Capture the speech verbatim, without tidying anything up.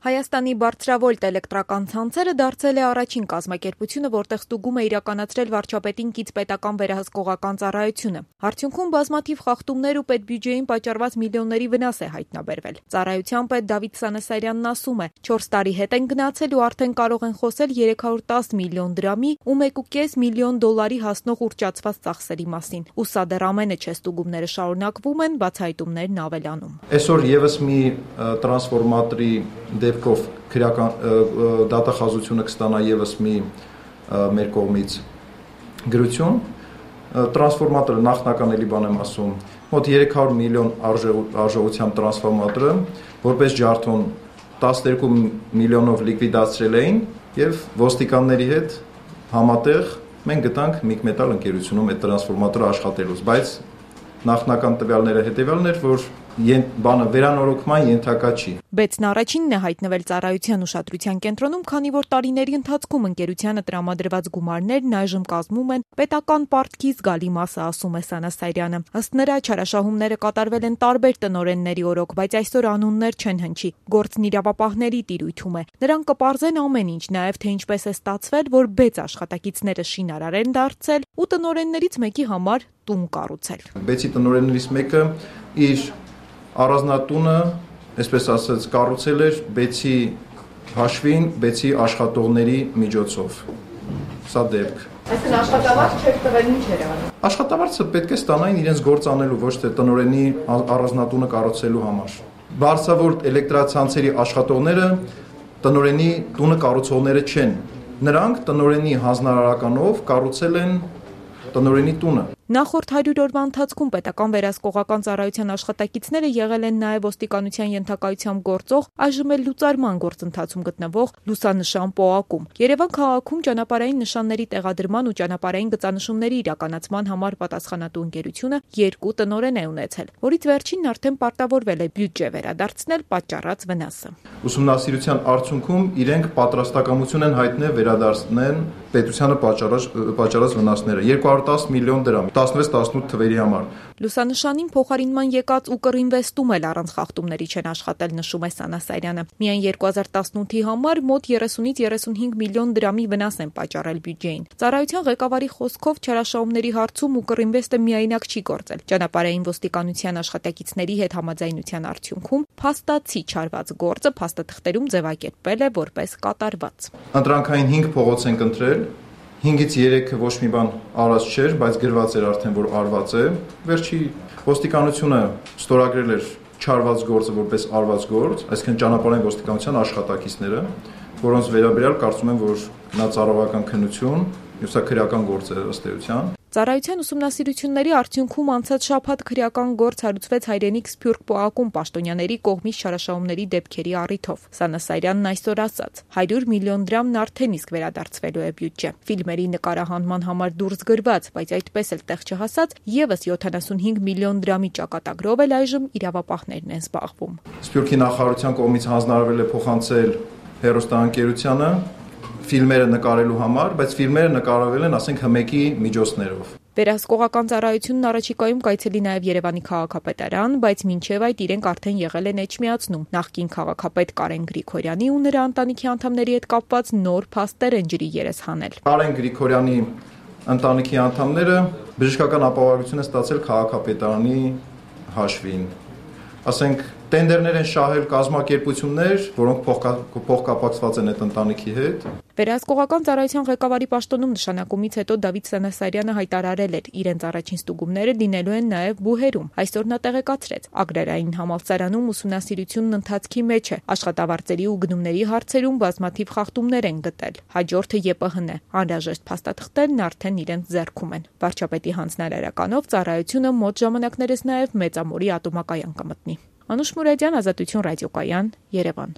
Հայաստանի բարձրավոլտ էլեկտրական ցանցերը դարձել է առաջին կազմակերպությունը, որտեղ ստուգում է իրականացրել վարչապետին կից պետական վերահսկողական ծառայությունը։ Արդյունքում բազմաթիվ խախտումներ ու պետբյուջեին պատճառված միլիոնների վնաս է հայտնաբերվել։ Ծառայության պետ Դավիթ Սանասարյանն ասում է, չորս տարի հետ են գնացել ու արդեն կարող են խոսել երեք հարյուր տասը միլիոն դրամի ու մեկ ու կես միլիոն դոլարի հասնող ուռճացված ծախսերի մասին։ Ու սա դեռ ամենը չէ, ստուգումները շարունակվում են, բացահայտումներն ավելանում։ Այսօր եւս մի տրանսֆորմատորի դեպքով քրեական դատախազությունը կստանա եւս մի մեր կողմից գրություն։ Տրանսֆորմատորը նախնական էլի բան եմ ասում, մոտ երեք հարյուր միլիոն արժողությամբ տրանսֆորմատորը, որպես ջարդոն տասներկու միլիոնով լիկվիդացրել էին եւ ոստիկանների հետ համատեղ մենք գտանք Միգմետալ ընկերությունում այդ տրանսֆորմատորը աշխատելուց, բայց նախնական տվյալները հետեւյալն էր, որ բանը վերանորոգման ենթակա չի։ Բեցն առաջինն է հայտնվել ծառայության ուշադրության կենտրոնում, քանի որ տարիների ընթացքում ընկերությանը տրամադրված գումարներն այժմ կազմում են պետական պարտքի զգալի մասը, ասում է Սանասարյանը։ Ըստ նրա, չարաշահումները կատարվել են տարբեր տնօրենների օրոք, բայց այսօր անուններ չեն հնչի։ Գործն իրավապահների տիրույթում է։ Նրանք կպարզեն ամեն ինչ, նաև թե ինչպես է ստացվել, որ Բեց աշխատակիցները շինարար են դարձել ու տնօրեններից մեկի համար տուն կառուցել։ Բեցի տնօրեններից մեկը իր առանձնատունը, այսպես ասած, կառուցել էր Բեցի հաշվին, Բեցի աշխատողների միջոցով։ Սա դեպք։ Այսինքն աշխատավարձ չեք տվել, ինչ էր անում։ Աշխատավարձը պետք է ստանային իրենց գործ անելու, ոչ թե տնօրենի առանձնատունը կառուցելու համար։ Բարձրավոլտ էլեկտրացանցերի աշխատողները տնօրենի տունը կառուցողները չեն։ Նրանք տնօրենի հանձնարարականով կառուցել են տնօրենի տունը։ Նախորդ հարյուր օրվա ընթացքում պետական վերահսկողական ծառայության աշխատակիցները եղել են նաև ոստիկանության ենթակայությամբ գործող, այժմ էլ լուծարման գործընթացում գտնվող լուսանշան պոակում։ Երևան քաղաքում ճանապարհային նշանների տեղադրման ու ճանապարհային գծանշումների իրականացման համար պատասխանատու ընկերությունը երկու տնօրեն է ունեցել, որից վերջինն արդեն պարտավորվել է բյուջե վերադարձնել պատճառած վնասը։ Ուսումնասիրության արդյունքում իրենք պատրաստակամություն են հայտնել վերադարձնել պետությանը պատճառած պատճառած վնասները երկու հարյուր տասը միլիոն դրամ տասնվեց տասնութ թվերի համար։ Լուսանշանին փոխարինման եկած Ուկրինվեստում էլ առանց խախտումների չեն աշխատել, նշում է Սանասարյանը։ Միայն երկու հազար տասնութի համար մոտ երեսունից երեսունհինգ միլիոն դրամի վնաս են պատճառել բյուջեին։ Ծառայության ղեկավարի խոսքով չարաշահումների հարցում Ուկրինվեստը միայնակ չի գործել։ Ճանապարհային ոստիկանության աշխատակիցների հետ համաձայնության արդյունքում փաստացի չարված գործը փաստաթղթերում ձևակերպվել է որպես կատարված։ Ընտրանքային հինգ փողոց են ընտրել։ հինգից երեքը ոչ մի բան արած չէր, բայց գրված էր արդեն, որ արված է։ Վերջի ոստիկանությունը ստորագրել էր չարված գործը որպես արված գործ, այսինքն ճանապարհային ոստիկանության աշխատակիցները, որոնց վերաբերյալ կարծում եմ, որ նա ծառայական քննություն, սա քրեական գործ է ըստ էության։ Ծառայության ուսումնասիրությունների արդյունքում անցած շաբաթ քրեական գործ հարուցվեց Հայրենիք Սփյուռք պոակում պաշտոնյաների կողմից չարաշահումների դեպքերի առիթով։ Սանասարյանն այսօր ասաց. հարյուր միլիոն դրամն արդեն իսկ վերադարձվելու է բյուջե։ Ֆիլմերի նկարահանման համար դուրս գրված, բայց այդպես էլ տեղ չհասած, եւս յոթանասունհինգ միլիոն դրամի ճակատագրով էլ այժմ իրավապահներն են զբաղվում։ Սփյուռքի նախարարության կողմից հանձնարարվել է փոխանցել հեռուստաընկերությանը ֆիլմերը նկարելու համար, բայց ֆիլմերը նկարվել են, ասենք, հմեկի միջոցներով։ Վերահսկողական ծառայությունն առաջիկայում կայցելի նաև Երևանի քաղաքապետարան, բայց մինչև այդ իրենք արդեն եղել են էջմիածնում։ Նախկին քաղաքապետ Կարեն Գրիգորյանի ու նրա ընտանիքի անդամների հետ կապված նոր փաստեր են ջրի երես հանել։ Կարեն Գրիգորյանի ընտանիքի անդամները բժշկական ապահովություն են ստացել քաղաքապետարանի հաշվին։ Ասենք, տենդերներ են շահել կազմակերպություններ, որոնք փոխկապակցված են այդ ընտանիքի հետ։ Վերահսկողական ծառայության ղեկավարի պաշտոնում նշանակումից հետո Դավիթ Սանասարյանը հայտարարել էր, իրենց առաջին ստուգումները լինելու են նաև Բուհերում։ Այսօր նա տեղեկացրեց, Ագրարային համալսարանում ուսումնասիրությունն ընթացքի մեջ է, աշխատավարձերի ու գնումների հարցերում բազմաթիվ խախտումներ են գտել։ Հաջորդը ԵՊՀ-ն է, անհրաժեշտ փաստաթղթերն արդեն իրենց ձեռքում են։ Վարչապետի հանձնարարականով ծառայությունը մոտ ժամանակներս նաև Մեծամորի ատոմակայան կմտնի։ Անուշ Մուրադյան, Ազատություն ռադիոկայան, Երևան։